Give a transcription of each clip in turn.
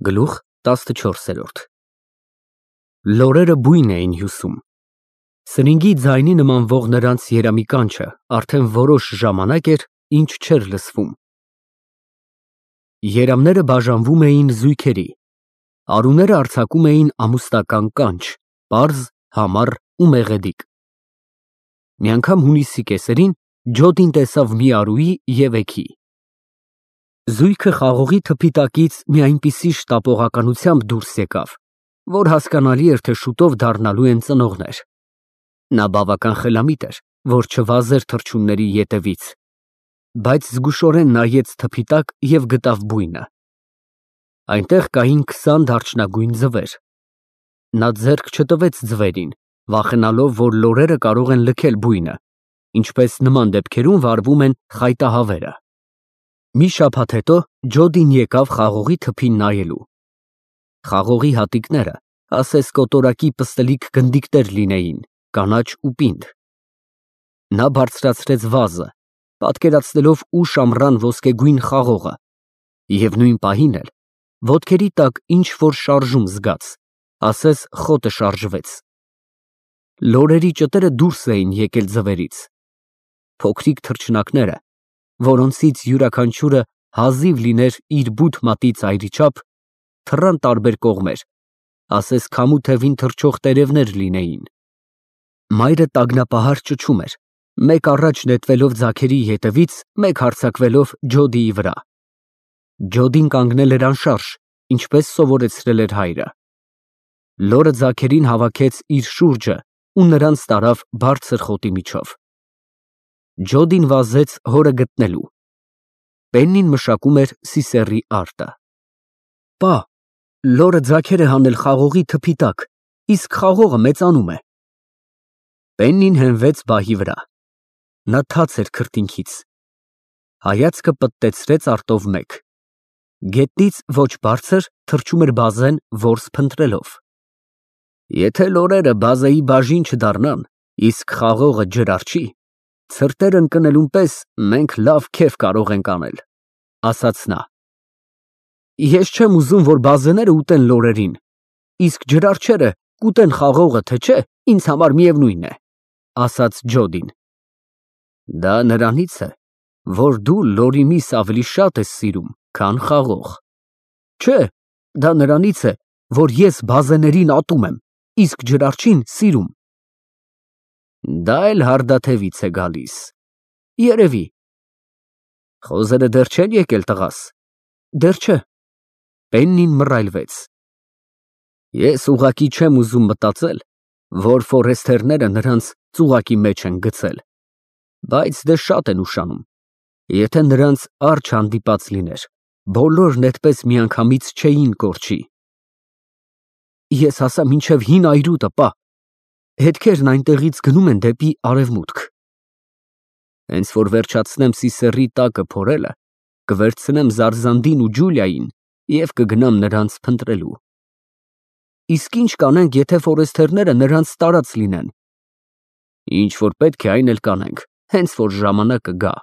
Գլուխ 14 Լորերը բույն էին հյուսում։ Սրինգի ձայնի նմանվող նրանց երամի կանչը արդեն որոշ ժամանակ էր, ինչ չէր լսվում։ Երամները բաժանվում էին զույգերի, արուները արձակում էին ամուսնական կանչ, պարզ, համառ ու մեղեդիկ։ Մի անգամ հունիսի կեսերին Ջոդին տեսավ մի արուի և էգի։ Զույգը խաղողի թփի տակից մի այնպիսի շտապողականությամբ դուրս եկավ, որ հասկանալի էր, թե շուտով դառնալու են ծնողներ։ Նա բավական խելամիտ էր, որ չվազեր թռչունների ետևից, բայց զգուշորեն նայեց թփի տակ և գտավ բույնը։ Այնտեղ կային 20 դարչնագույն ձվեր։ Նա ձեռք չտվեց ձվերին, վախենալով, որ լորերը կարող են լքել բույնը, ինչպես նման դեպքերում վարվում են խայտահավերը։ Մի շաբաթ հետո Ջոդին եկավ խաղողի թփին նայելու։ Խաղողի հատիկները, ասես կոտորակի պստլիկ գնդիկներ լինեին, կանաչ ու պինդ։ Նա բարձրացրեց վազը, պատկերացնելով ուշ ամռան ոսկեգույն խաղողը, և նույն պահին էլ ոտքերի տակ ինչ-որ շարժում զգաց, ասես խոտը շարժվեց։ Լորերի ճտերը դուրս էին եկել ձվերից։ Փոքրիկ թռչնակները, որոնցից յուրաքանչյուրը հազիվ լիներ իր բութ մատի ծայրի չափ, թռան տարբեր կողմեր, ասես քամու թևին թռչող տերևներ լինեին։ Մայրը տագնապահար ճչում էր, մեկ առաջ նետվելով ձագերի ետևից, մեկ հարձակվելով Ջոդիի վրա։ Ջոդին կանգնել էր անշարժ, ինչպես սովորեցրել էր հայրը։ Լորը ձագերին հավաքեց իր շուրջը ու նրանց տարավ բարձր խոտի միջով։ Ջոդին վազեց հորը գտնելու։ Պեննին մշակում էր սիսեռի արտը։ Պա, լորը ձագեր է հանել խաղողի թփի տակ, իսկ խաղողը մեծանում է։ Պեննին հենվեց բահի վրա։ Նա թաց էր քրտինքից։ Հայացքը պտտեցրեց արտով մեկ։ Գետնից ոչ բարձր թռչում էր բազեն, որս փնտրելով։ Եթե լորերը բազեի բաժին չդառնան, իսկ խաղողը ջրառչի, ցրտեր ընկնելուն պես մենք լավ քեֆ կարող ենք անել, ասաց նա։ Ես չեմ ուզում, որ բազեները ուտեն լորերին, իսկ ջրառչերը կուտեն խաղողը, թե չէ, ինձ համար միևնույն է, ասաց Ջոդին։ Դա նրանից է, որ դու լորի միս ավելի շատ ես սիրում, քան խաղող։ Չէ, դա նրանից է, որ ես բազեներին ատում եմ, իսկ ջրառչին սիրում։ Դա էլ հարդաթևից է գալիս։ Երևի։ Խոզերը դեռ չեն եկել, տղաս։ Դեռ չէ։ Պեննին մռայլվեց։ Ես ուղղակի չեմ ուզում մտածել, որ ֆորեստերները նրանց ծուղակի մեջ են գցել, բայց դե շատ են ուշանում։ Եթե նրանց արջ հանդիպած լիներ, բոլորն այդպես միանգամից չէին կորչի։ Ես հասա մինչև հին այրուտը, պա։ Հետքերն այնտեղից գնում են դեպի արևմուտք։ Հենց որ վերջացնեմ սիսեռի տակը փորելը, կվերցնեմ Զարզանդին ու Ջուլիային և կգնամ նրանց փնտրելու։ Իսկ ինչ կանենք, եթե ֆորեստերները նրանց տարած լինեն։ Ինչ որ պետք է, այն էլ կանենք, հենց որ ժամանակը գա։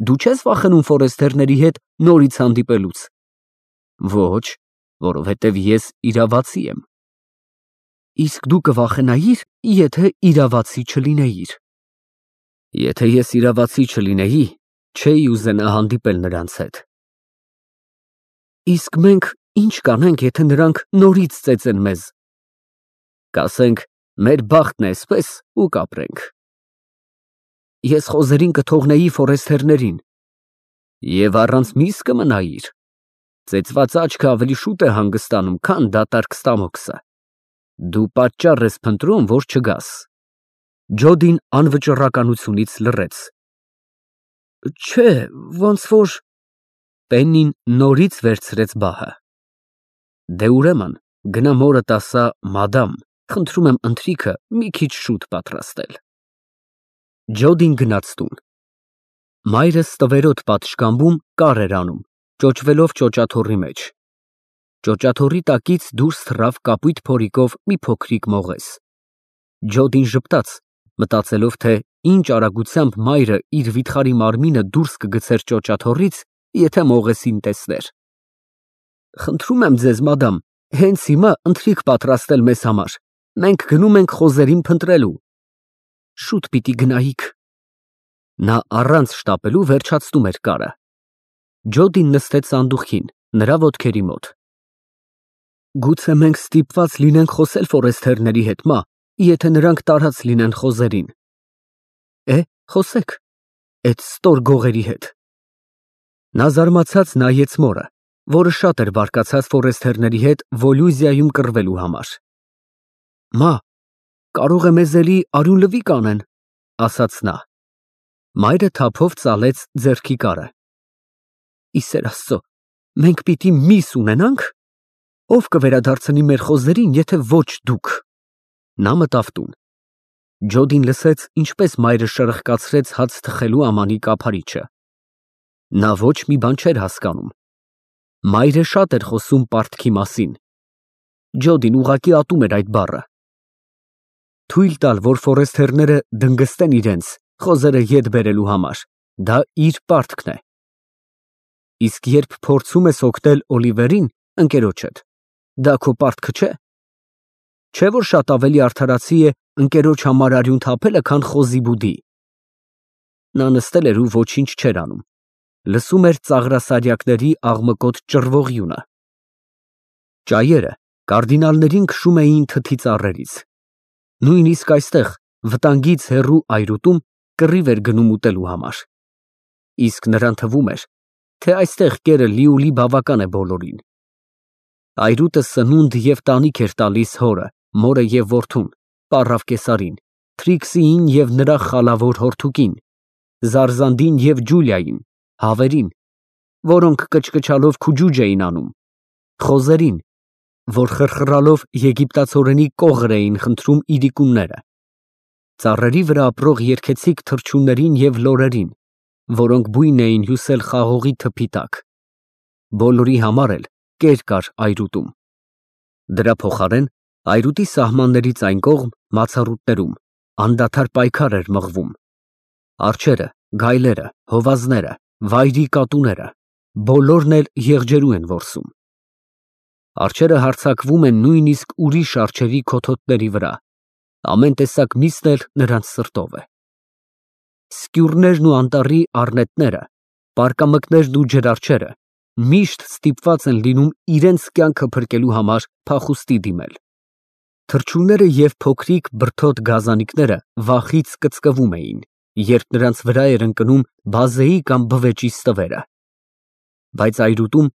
Դու չես վախենում ֆորեստերների հետ նորից հանդիպելուց։ Ոչ, որովհետև ես իրավացի եմ։ Իսկ դու կվախենայիր, եթե իրավացի չլինեիր։ Եթե ես իրավացի չլինեի, չէի ուզենա հանդիպել նրանց հետ։ Իսկ մենք ինչ կանենք, եթե նրանք նորից ծեծեն մեզ։ Կասենք, մեր բախտն է էսպես ու կապրենք։ Ես խոզերին կթողնեի ֆորեստերներին։ Եվ առանց միս կմնայիր։ Ծեծված աչքը ավելի շուտ է հանգստանում, քան դատարկ ստամոքսը։ Դու պատճառ ես փնտրում, որ չգաս։ Ջոդին անվճռականությունից լռեց։ Չէ, ոնց որ… Պեննին նորից վերցրեց բահը։ Դե ուրեմն, գնա մորդ ասա, մադամ, խնդրում եմ ընթրիքը մի քիչ շուտ պատրաստել։ Ջոդին գնաց տուն։ Մայրը ստվերոտ պատշգամբում կար էր անում, ճոճվելով ճոճաթոռի մեջ։ Ճոճաթոռի տակից դուրս թռավ կապույտ փորիկով մի փոքրիկ մողես։ Ջոդին ժպտաց, մտածելով, թե ինչ արագությամբ մայրը իր վիթխարի մարմինը դուրս կգցեր ճոճաթոռից, եթե մողեսին տեսներ։ Խնդրում եմ ձեզ, մադամ, հենց հիմա ընթրիք պատրաստել մեզ համար։ Մենք գնում ենք խոզերին փնտրելու։ Շուտ պիտի գնայիք։ Նա առանց շտապելու վերջացնում էր կարը։ Ջոդին նստեց սանդուղքին, նրա ոտքերի մոտ։ Գուցե մենք ստիպված լինենք խոսել ֆորեսթերների հետ, մա, եթե նրանք տարած լինեն խոզերին։ Խոսեք, այդ ստոր գողերի հետ։ Նա զարմացած նայեց մորը, որը շատ էր բարկացած ֆորեսթերների հետ Վոլյուզիայում կռվելու համար։ Մա, կարող է մեզ էլի արյուն լվիկ անեն, ասաց նա։ Մայրը թափով ծալեց ձեռքի կարը։ Իսեր Աստծո, մենք պիտի միս ունենանք։ Ով կվերադարձնի մեր խոզերին, եթե ոչ դուք։ Նա մտավ տուն։ Ջոդին լսեց, ինչպես մայրը շրխկացրեց հաց թխելու ամանի կափարիչը։ Նա ոչ մի բան չէր հասկանում։ Մայրը շատ էր խոսում պարտքի մասին։ Ջոդին ուղղակի ատում էր այդ բառը։ Թույլ տալ, որ ֆորեսթերները դնգստեն իրենց, խոզերը ետ բերելու համար, դա իր պարտքն է։ Իսկ երբ փորձում ես օգնել Օլիվերին, ընկերոջդ, դա քո պարտքը չէ։ Չէ՞ որ շատ ավելի արդարացի է ընկերոջ համար արյուն թափելը, քան խոզի բուդի։ Նա նստել էր ու ոչինչ չէր անում։ Լսում էր ծաղրասարյակների աղմկոտ ճռվողյունը։ Ճայերը կարդինալներին քշում էին թթի ծառերից։ Նույնիսկ այստեղ, վտանգից հեռու այրուտում, կռիվ էր գնում ուտելու համար։ Իսկ նրան թվում էր, թե այստեղ կերը լիուլի բավական է բոլորին։ Այրուտը սնունդ և տանիք էր տալիս հորը, մորը և որդուն, պառավ կեսարին, Թրիքսիին և նրա խալավոր հորթուկին, Զարզանդին և Ջուլիային, հավերին, որոնք կչկչալով քուջուջ էին անում, խոզերին, որ խրխռալով եգիպտացորենի կողր էին խնդրում իրիկունները, ծառերի վրա ապրող երգեցիկ թռչուններին և լորերին, որոնք բույն էին հյուսել խաղողի թփի տակ։ Բոլորի համար էլ կեր կար այրուտում։ Դրա փոխարեն այրուտի սահմաններից այն կողմ մացառուտներում անդադար պայքար էր մղվում։ Արջերը, գայլերը, հովազները, վայրի կատուները, բոլորն էլ եղջերու են որսում։ Արջերը հարձակվում են նույնիսկ ուրիշ արջերի քոթոտների վրա, ամեն տեսակ միսն էլ նրանց սրտով է։ Սկյուրներն ու անտառի առնետները, պարկամկներն ու ջրարջերը միշտ ստիպված են լինում իրենց կյանքը փրկելու համար փախուստի դիմել։ Թռչունները և փոքրիկ բրդոտ գազանիկները վախից կծկվում էին, երբ նրանց վրա էր ընկնում բազեի կամ բվեճի ստվերը։ Բայց այրուտում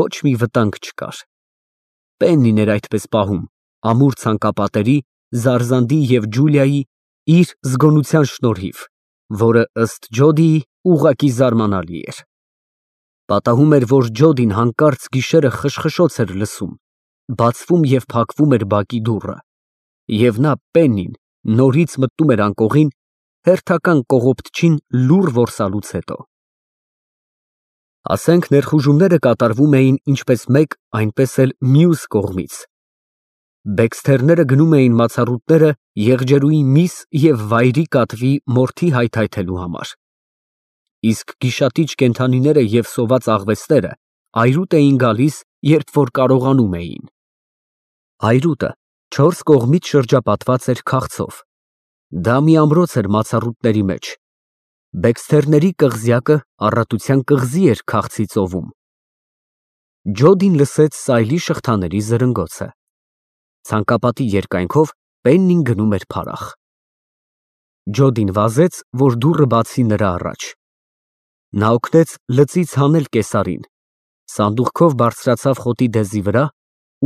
ոչ մի վտանգ չկար։ Պեննին էր այդպես պահում, ամուր ցանկապատերի, Զարզանդի և Ջուլիայի իր զգոնության շնորհիվ, որը ըստ Ջոդիի ուղղակի զարմանալի էր։ Պատահում էր, որ Ջոդին հանկարծ գիշերը խշխշոց էր լսում, բացվում և փակվում էր բակի դուռը, և նա Պեննին նորից մտնում էր անկողին, հերթական կողոպտչին լուռ որսալուց հետո։ Ասենք ներխուժումները կատարվում էին ինչպես մեկ, այնպես էլ մյուս կողմից։ Բեքսթերները գնում էին մացառուտները եղջերուի միս և վայրի կատվի մորթի հայթայթելու համար։ Իսկ գիշատիչ կենդանիները և սոված աղվեսները այրուտ էին գալիս, երբ որ կարողանում էին։ Այրուտը չորս կողմից շրջապատված էր քաղցով։ Դա մի ամրոց էր մացառուտների մեջ։ Բեքսթերների կղզյակը առատության կղզի էր քաղցի ծովում։ Ջոդին լսեց սայլի շղթաների զրնգոցը։ Ցանկապատի երկայնքով Պեննին գնում էր փարախ։ Ջոդին վազեց, որ դուռը բացի նրա առաջ։ Նա օգնեց լծից հանել կեսարին, սանդուղքով բարձրացավ խոտի դեզի վրա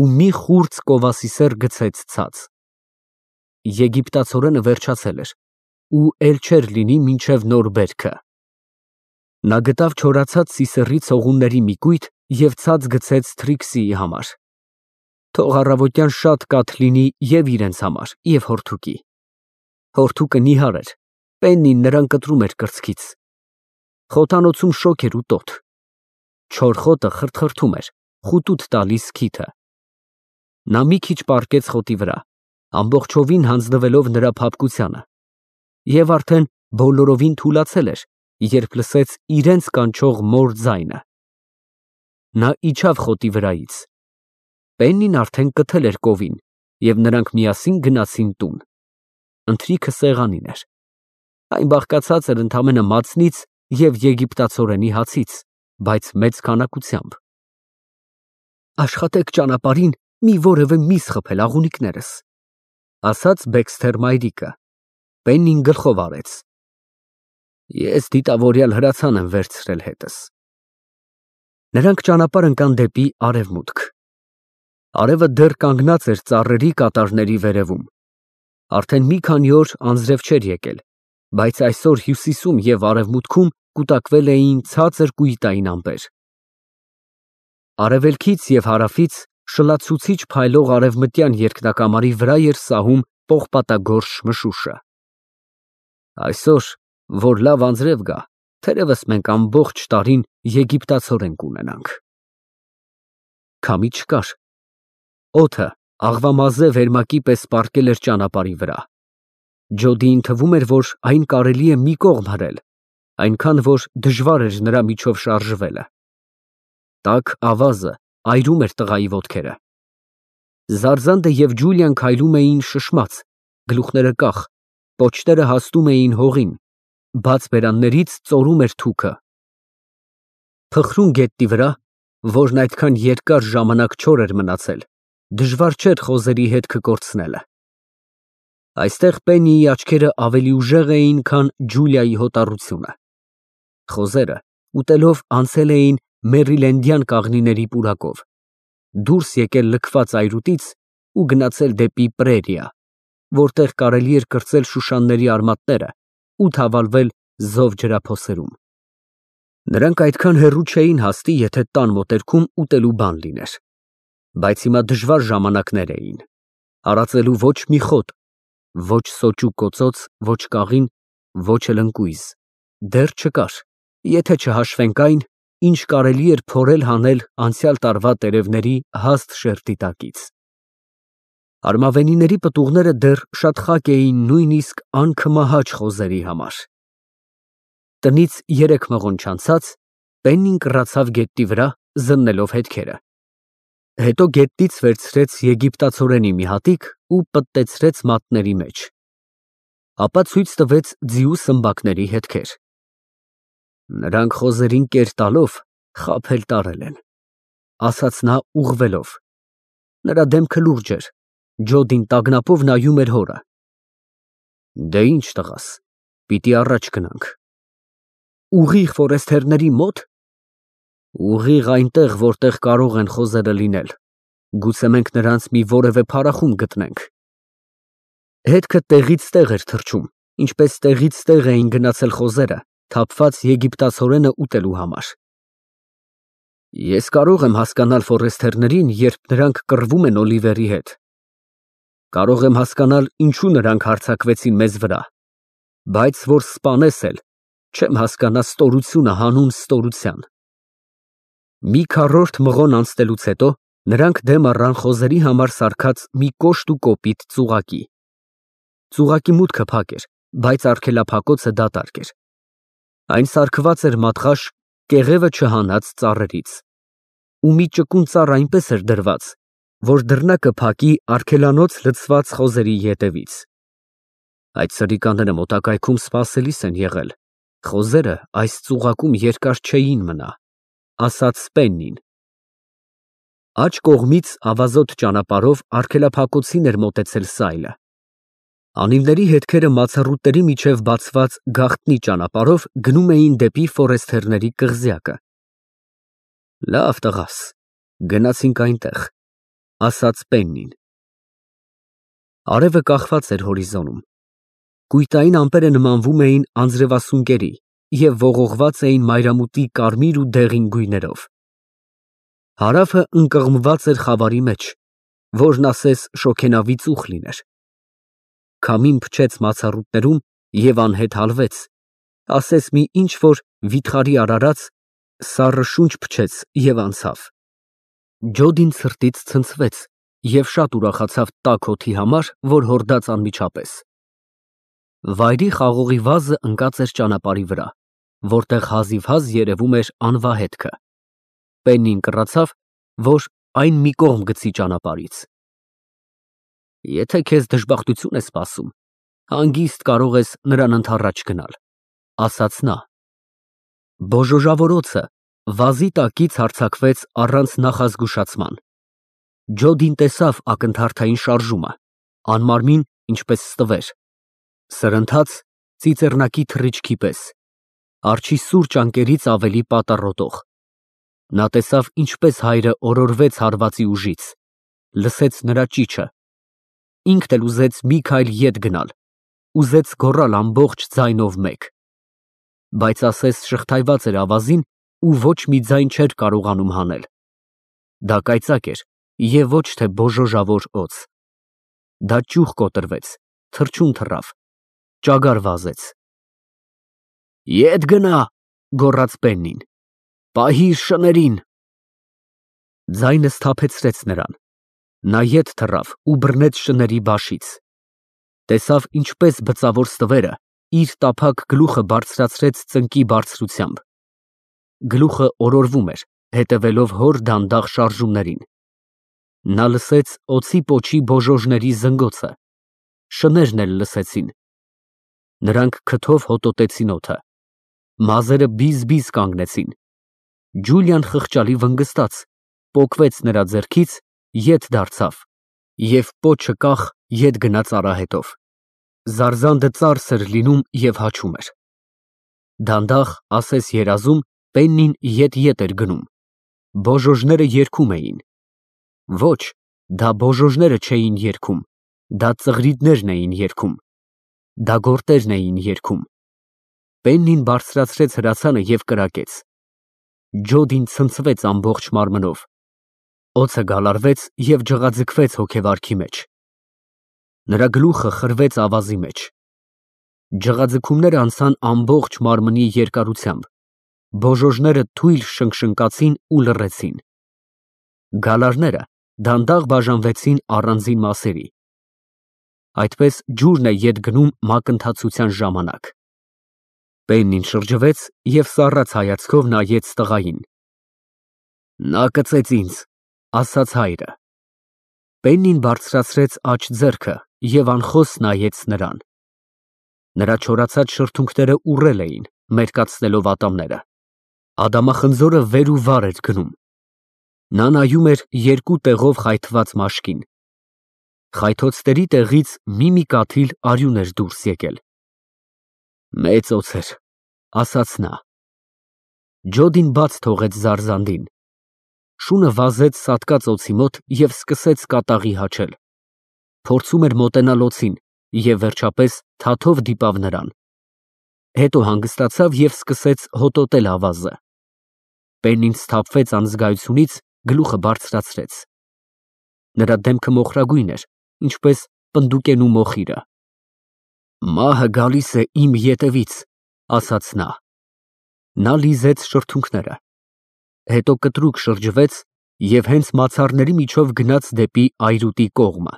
ու մի խուրձ կովասիսեր գցեց ցած։ Եգիպտացորենը վերջացել էր ու էլ չէր լինի մինչև նոր բերքը։ Նա գտավ չորացած սիսեռի ցողունների մի կույտ և ցած գցեց Թրիքսիի համար։ Թող առավոտյան շատ կաթ լինի և իրենց համար, և հորթուկի։ Հորթուկը նիհար էր, Պեննին նրան կտրում էր կրծքից։ Խոթանոցում շոգ էր ու տոտ։ Չոր խոտը խրթխրթում էր, խուտուտ տալիս քիթը։ Նա մի քիչ պառկեց խոտի վրա, ամբողջովին հանձնվելով նրա փափկությանը, և արդեն բոլորովին թուլացել էր, երբ լսեց իրենց կանչող մոր ձայնը։ նա իջավ խոտի վրայից։ Պեննին արդեն կթել էր կովին, և նրանք միասին գնացին տուն։ Ընթրիքը սեղանին էր։ Այն բաղկացած էր ընդամենը մածնից և եգիպտացորենի հացից, բայց մեծ քանակությամբ։ Աշխատեք ճանապարհին մի որևէ միս խփել աղունիկներս, ասաց Բեքսթեր մայրիկը։ Պեննին գլխով արեց։ Ես դիտավորյալ հրացան եմ վերցրել հետս։ Նրանք ճանապարհ ընկան դեպի արևմուտք։ Արևը դեռ կանգնած էր ծառերի կատարների վերևում։ Արդեն մի քանի օր անձրև չէր եկել, բայց այսօր հյուսիսում և արևմուտքում կուտակվել էին ցածր կույտային ամպեր։ Արևելքից և հարավից շլացուցիչ փայլող արևմտյան երկնակամարի վրա էր սահում պողպատագորշ մշուշը։ Այսօր, որ լավ անձրև գա, թերևս մենք ամբողջ տարին եգիպտացորեն կունենանք։ Քամի չկար։ Օդը աղվամազե վերմակի պես պառկել էր ճանապարհի վրա։ Ջոդիին թվում էր, որ այն կարելի է մի կողմ հրել, այնքան որ դժվար էր նրա միջով շարժվելը։ Տաք ավազը այրում էր տղայի ոտքերը։ Զարզանդը և Ջուլիան քայլում էին շշմած, գլուխները կախ, պոչները հաստում էին հողին, բաց բերաններից ծորում էր թուքը։ Փխրուն գետնի վրա, որն այդքան երկար ժամանակ չոր էր մնացել, դժվար չէր խոզերի հետքը կորցնելը։ Այստեղ Պեննիի աչքերը ավելի ուժեղ էին, քան Ջուլիայի հոտառությունը։ Խոզերը ուտելով անցել էին մերիլենդյան կաղնիների պուրակով, դուրս եկել լքված այրուտից ու գնացել դեպի պրերիա, որտեղ կարելի էր կրծել շուշանների արմատները ու թավալվել զով ջրափոսերում։ Նրանք այդքան հեռու չէին հասնի, եթե տան մոտերքում ուտելու բան լիներ։ Բայց հիմա դժվար ժամանակներ էին։ Արածելու ոչ մի խոտ, ոչ սոճու կոծոց, ոչ կաղին, ոչ էլ ընկույզ դեռ չկար, եթե չհաշվենք այն, ինչ կարելի էր փորել հանել անցյալ տարվա տերևների հաստ շերտի տակից։ Արմավենիների պտուղները դեռ շատ խաք էին նույնիսկ անքմահաճ խոզերի համար։ Տնից 3 մղոն չանցած Պեննին կռացավ գետնի վրա, զննելով հետքերը։ Հետո գետնից վերցրեց եգիպտացորենի մի հատիկ ու պտտեցրեց մատների մեջ։ Ապա ցույց տվեց ձիու սմբակների հետքեր։ Նրանք խոզերին կեր տալով խաբել տարել են, ասաց նա ուղղվելով։ Նրա դեմքը լուրջ էր, Ջոդին տագնապով նայում էր հորը։ Դե ինչ տղաս, պիտի առաջ գնանք։ Ուղիղ ֆորեստերների մոտ։ Ուղիղ այնտեղ, որտեղ կարող են խոզերը լինել, գուցե մենք նրանց մի որևէ փարախում գտնենք։ Հետքը տեղից տեղ էր թռչում, ինչպես տեղից տեղ էին գնացել խոզերը, թափված եգիպտացորենը ուտելու համար։ Ես կարող եմ հասկանալ ֆորեստերներին, երբ նրանք կռվում են Օլիվերի հետ։ Կարող եմ հասկանալ, ինչու նրանք հարձակվեցին մեզ վրա, բայց որ սպանես էլ, չեմ հասկանա ստորությունը հանուն ստորության։ Մի քառորդ մղոն անցնելուց հետո նրանք դեմ առան խոզերի համար սարքած մի կոշտ ու կոպիտ ծուղակի։ Ծուղակի մուտքը փակ էր, բայց արգելափակոցը դատարկ էր։ Այն սարքված էր մատղաշ, կեղևը չհանած ծառերից, ու մի ճկուն ծառ այնպես էր դրված, որ դռնակը փակի արգելանոց լցված խոզերի ետևից։ Այդ սրիկաները մոտակայքում սպասելիս են եղել, խոզերը այս ծուղակում երկար չէին մնա, ասաց Պեննին։ Աջ կողմից ավազոտ ճանապարհով արգելափակոցին էր մոտեցել Սայլը։ Անիվների հետքերը մացառուտների միջև բացված գաղտնի ճանապարհով գնում էին դեպի ֆորեստերների կղզյակը։ Լավ տղաս, գնացինք այնտեղ, ասաց Պեննին։ Արևը կախված էր հորիզոնում։ Կույտային ամպերը նմանվում էին անձրևասունկերի և ողողված էին մայրամուտի կարմիր ու դեղին գույներով։ Հարավը ընկղմված էր խավարի մեջ, որն ասես շոգենավի ծուխ լիներ։ Քամին փչեց մացառուտներում և անհետ հալվեց, ասես մի ինչ-որ վիթխարի արարած, սառը շունչ փչեց և անցավ։ Ջոդին սրտից ցնցվեց և շատ ուրախացավ տաք օդի համար, որ հորդաց անմիջապես։ Վայրի խաղողի վազը ընկած էր ճանապարհի վրա, որտեղ հազիվհազ երևում էր անվա հետքը։ Պեննին կռացավ, որ այն մի կողմ գցի ճանապարհից։ Եթե քեզ դժբախտություն է սպասում, հանգիստ կարող ես նրան ընդառաջ գնալ, ասաց նա։ Բոժոժավորոցը վազի տակից հարձակվեց առանց նախազգուշացման։ Ջոդին տեսավ ակնթարթային շարժումը, անմարմին ինչպես ստվեր, սրընթաց ծիծեռնակի թռիչքի պես, արջի սուրճ անկերից ավելի պատառոտող։ Նա տեսավ ինչպես հայրը օրորվեց հարվածի ուժից, լսեց նրա ճիչը, ինքն էլ ուզեց մի քայլ ետ գնալ, ուզեց գոռալ ամբողջ ձայնով մեկ, բայց ասես շղթայված էր ավազին ու ոչ մի ձայն չէր կարողանում հանել։ Դա կայծակ էր և ոչ թե բոժոժավոր օձ։ Դա ճյուղ կոտրվեց, թռչուն թռավ, ճագար վազեց։ Ետ գնա, գոռաց Պեննին, պահիր շներին։ Ձայնը սթափեցրեց նրան։ Նա ետ թռավ ու բռնեց շների բաշից։ Տեսավ ինչպես բծավոր ստվերը իր տափակ գլուխը բարձրացրեց ծնկի բարձրությամբ։ Գլուխը օրորվում էր, հետևելով հոր դանդաղ շարժումներին։ Նա լսեց օձի պոչի բոժոժների զնգոցը, շներն էլ լսեցին։ Նրանք քթով հոտոտեցին օդը, մազերը բիզ-բիզ կանգնեցին։ Ջուլիան խղճալի վնգստաց, պոկվեց նրա ձեռքից, ետ դարձավ և պոչը կախ ետ գնաց արահետով։ Զարզանդը ծարս էր լինում և հաչում էր։ Դանդաղ, ասես երազում, Պեննին ետ էր գնում։ Բոժոժները երգում էին։ Ոչ, դա բոժոժները չէին երգում, դա ծղրիդներն էին երգում, դա գորտերն էին երգում։ Պեննին բարձրացրեց հրացանը և կրակեց։ Ջոդին ցնցվեց ամբողջ մարմնով։ Օձը գալարվեց և ջղաձգվեց հոգեվարքի մեջ։ Նրա գլուխը խրվեց ավազի մեջ։ Ջղաձգումները անցան ամբողջ մարմնի երկարությամբ, բոժոժները թույլ շնկշնկացին ու լռեցին։ Գալարները դանդաղ բաժանվեցին առանձին մասերի։ Այդպես ջուրն է ետ գնում մակընթացության ժամանակ։ Պեննին շրջվեց և սառած հայացքով նայեց տղային։ Նա կծեց ինձ, ասաց հայրը։ Պեննին բարձրացրեց աջ ձեռքը և անխոս նայեց նրան։ Նրա չորացած շրթունքները ուռել էին, մերկացնելով ատամները։ Ադամախնձորը վեր ու վար էր գնում։ Նա նայում էր երկու տեղով խայթված մաշկին։ Խայթոցների տեղից մի կաթիլ արյուն էր դուրս եկել։ Մեծ օձ էր, ասաց նա։ Ջոդին բաց թողեց զարզանդին։ Շունը վազեց սատկած օձի մոտ և սկսեց կատաղի հաչել։ Փորձում էր մոտենալ օձին և վերջապես թաթով դիպավ նրան։ Հետո հանգստացավ և սկսեց հոտոտել ավազը։ Պեննին սթափվեց անզգայությունից, գլուխը բարձրացրեց։ Նրա դեմքը մոխրագույն էր, ինչպես պնդուկենու մոխիրը։ Մահը գալիս է իմ ետևից, ասաց նա։ Նա լիզեց շրթունքները, հետո կտրուկ շրջվեց և հենց մացառների միջով գնաց դեպի այրուտի կողմը։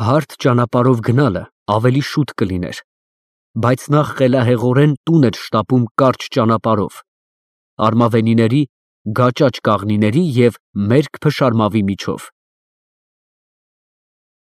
Հարթ ճանապարհով գնալը ավելի շուտ կլիներ, բայց նա խելահեղորեն տուն էր շտապում կարճ ճանապարհով, արմավենիների, գաճաճ կաղնիների և մերկ փշարմավի միջով։